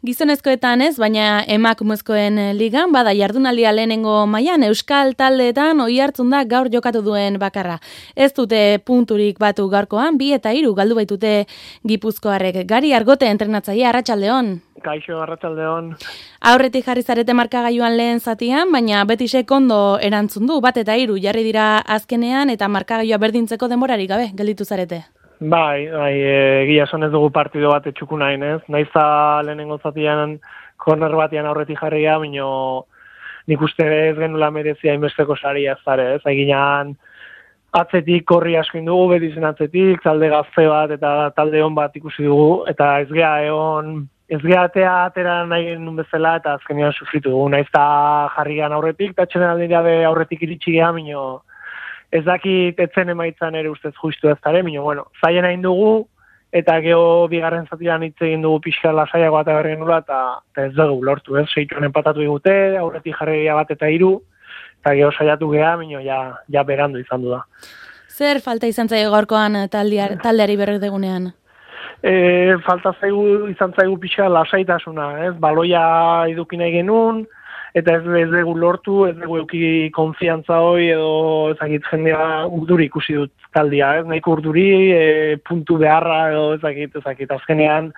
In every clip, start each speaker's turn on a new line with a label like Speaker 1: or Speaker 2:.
Speaker 1: Gizonezkoetan ez, baina emakumezkoen ligan, bada jardunaldia lehenengo mailan euskal taldeetan oihartzun da gaur jokatu duen bakarra. Ez dute punturik batu gaurkoan, 2 eta 3 galdu baitute Gipuzkoarrek. Gari Argote entrenatzailea, arratsaldeon.
Speaker 2: Kaixo, arratsaldeon.
Speaker 1: Aurretik jarri zarete markagailuan lehen zatian, baina Betisek ondo erantzun du, 1 eta 3 jarri dira azkenean eta markagailua berdintzeko denborarik gabe gelditu zarete.
Speaker 2: Bai, egia esan ez dugu partido bat etxuku nahin, ez? Naiza lehenengo zatian korner batean aurretik jarria, baino nik uste ez genula merezia inbesteko saria zare, ez? Eginan atzetik korri asko indugu, Betizen atzetik, talde gazte bat eta talde on bat ikusi dugu, eta ez gea atera nahi genuen bezala, eta azkenean sufritu dugu, naizta jarrian aurretik, eta txenen aldera aurretik iritsi geha, baino ez dakit etzen emaitzan ere ustez justu ez dara, baina, bueno, zaien hain dugu, eta geho bigarren zatian hitz egin dugu pixka lasaiago eta berri nula, eta ez dugu lortu, ez? 6 empatatu digute, aurretik jarria 1 eta 3, eta geho saiatu geha, baina ja berandu izan du da.
Speaker 1: Zer falta izan zaio gaurkoan taldeari berredegunean?
Speaker 2: Falta izan zaigu pixka lasaitasuna, ez? Baloia eduki nahi genuen, eta ez dugu lortu, ez dugu euki konfiantza hoi, edo ezakit jendea urduri ikusi dut taldia, ez nahiko urduri, puntu beharra, edo ezakit azkenean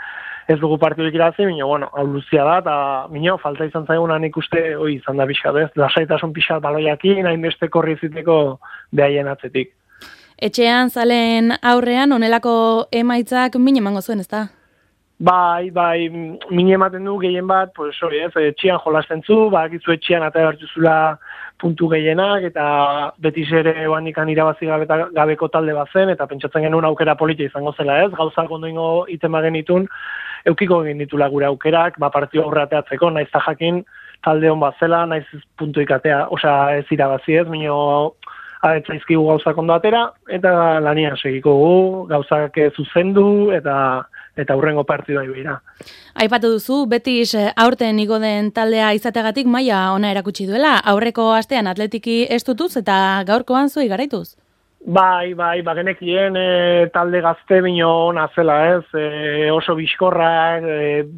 Speaker 2: ez dugu partidurik irazi, baina, bueno, hau luzia da, eta minio, falta izan zaiguna nik uste, hoi izan da pixat, ez? Lasaitasun pixat baloiakin, hainbeste korri ziteko behaien atzetik.
Speaker 1: Etxean zalen aurrean, onelako emaitzak min emango zuen, ezta?
Speaker 2: Bai, min ematen du gehien bat, pues hori ez, etxian jolasten zu, bakizu etxian eta bertuzula puntu gehienak, eta Betis ere oanikan irabazi gabeko talde bat zen, eta pentsatzen genuen aukera politia izango zela ez, gauzak ondoingo itema genitun, eukiko genitula gure aukerak, partio aurreateatzeko, naiz ta jakin talde hon bat zela, naiz puntu ikatea, osea ez irabazi ez, minio ahetzaizkigu gauzak ondo atera, eta lanian segiko gu, gauzak zuzendu, eta hurrengo partidua ibira.
Speaker 1: Aipatu duzu, Betis aurten igo den taldea izategatik maila ona erakutsi duela, aurreko astean Atletiki estutuz eta gaurkoan zuei garaituz.
Speaker 2: Bai, bagenekien talde gazte bino ona zela, ez? Oso bizkorrak,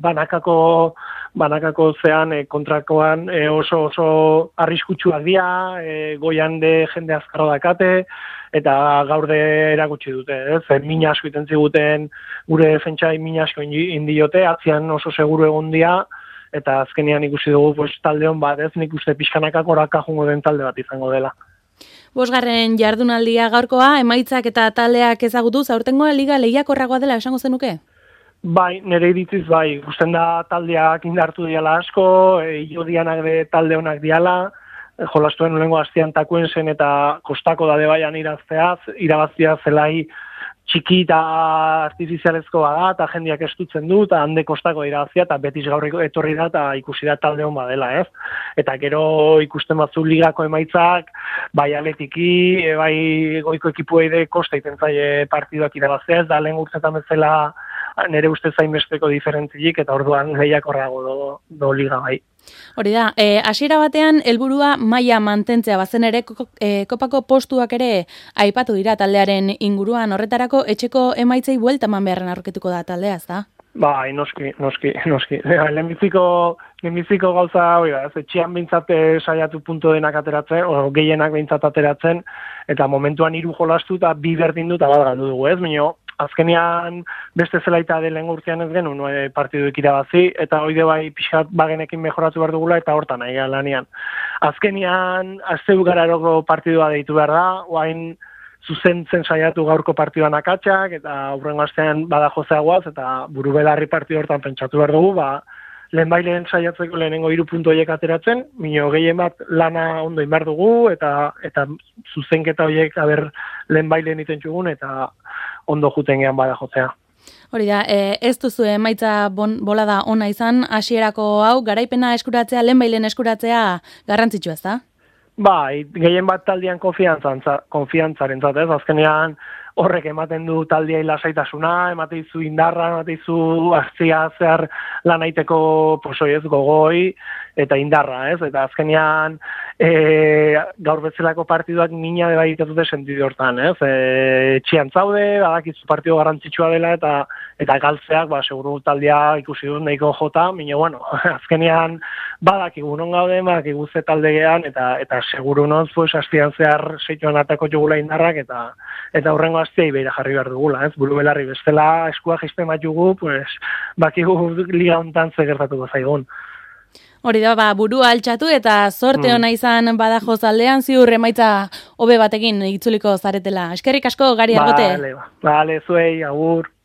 Speaker 2: banakako zean kontrakoan oso arriskutsuak dira, goian de jende azkarro dakate, eta gaur de erakutsi dute, ez? Min asko iten ziguten, gure defentsai min asko indiote, atzian oso seguru egon dia, eta azkenean ikusi dugu pues, talde hon bat, ez? Nik uste pixkanakak oraka jungo den talde bat izango dela.
Speaker 1: 5. jardunaldia gaurkoa, emaitzak eta taldeak ezagutuz, aurtengoa liga lehiakorragoa dela esango zenuke?
Speaker 2: Bai, nire iritziz bai, ikusten da taldeak indartu diala asko, iodianak de talde honak diala, jolastuen lehengo astean takuen zen eta kostako dade baian irabazia zelai txiki eta artifizialezko bada, eta jendeak estutzen du, eta hande kostako irabazia, eta Betis gaur etorri da, eta ikusi da talde hon badela, ez? Eta gero ikusten batzu ligako emaitzak, bai Atletiki, bai goiko ekipuei de kosta iten zaie partiduak irabazia, ez da lehen urtetan bezala nire uste zainbesteko diferentzilik, eta orduan lehiakorrago do liga bai.
Speaker 1: Hori da, hasiera batean helburua maila mantentzea bazen ere kopako postuak ere aipatu dira taldearen inguruan, horretarako etxeko emaitzei buelta eman beharren aurketuko da taldea, ezta?
Speaker 2: Bai, noski. Lehenbiziko gauza hori da, etxean behintzat saiatu punto denak ateratzen, o gehienak behintzat ateratzen, eta momentuan 3 jolastu eta 2 berdin du eta bat galdu dugu, ez? Baina azkenean beste zelaita lehen urtean ez genuen partiduik irabazi, eta hoide bai pixkat bagenekin mejoratu behar dugula, eta hortan nahi lanean. Azkenean, azteu gararoko partidua deitu behar da, oain zuzentzen saiatu gaurko partiduan akatsak, eta hurrengo astean badajo zeagoaz, eta buru belarri partidu hortan pentsatu behar dugu, lehen saiatzeko lehenengo 3 puntu horiek ateratzen, minio gehien bat lana ondo inbar dugu, eta zuzenketa horiek lehen iten txugun, eta ondo juten gehan bada jotzea.
Speaker 1: Hori da, ez duzu emaitza bolada ona izan, hasierako hau, garaipena eskuratzea, lehen eskuratzea garrantzitsu ez da?
Speaker 2: Bai, gehien bat taldean konfiantzaren ez? Azkenean horrek ematen du taldeai lasaitasuna, ematen zu indarra, ematen zu azia zehar lan aiteko gogoi, eta indarra, ez? Eta azkenean gaur bezalako partiduak mina bai dute sentidu hortan, ez? Etxean zaude, badakizu partidu garrantzitsua dela eta galtzeak, seguru taldea ikusi dut nahiko jota, baina bueno, azkenean badakigu non gaude, badakigu ze taldegean eta seguru noz, pues astian zehar seituan atako jugula indarrak eta horrengo astiai beira jarri behar dugula, ez? Buru belarri bestela eskua jisten bat jugu, pues bakigu liga hontan ze gertatuko zaigun.
Speaker 1: Hori da, burua altxatu eta sorte ona izan Badajoz aldean, ziur emaitza hobe batekin itzuliko zaretela. Eskerrik asko, Gari Argote.
Speaker 2: Vale, zuei, agur.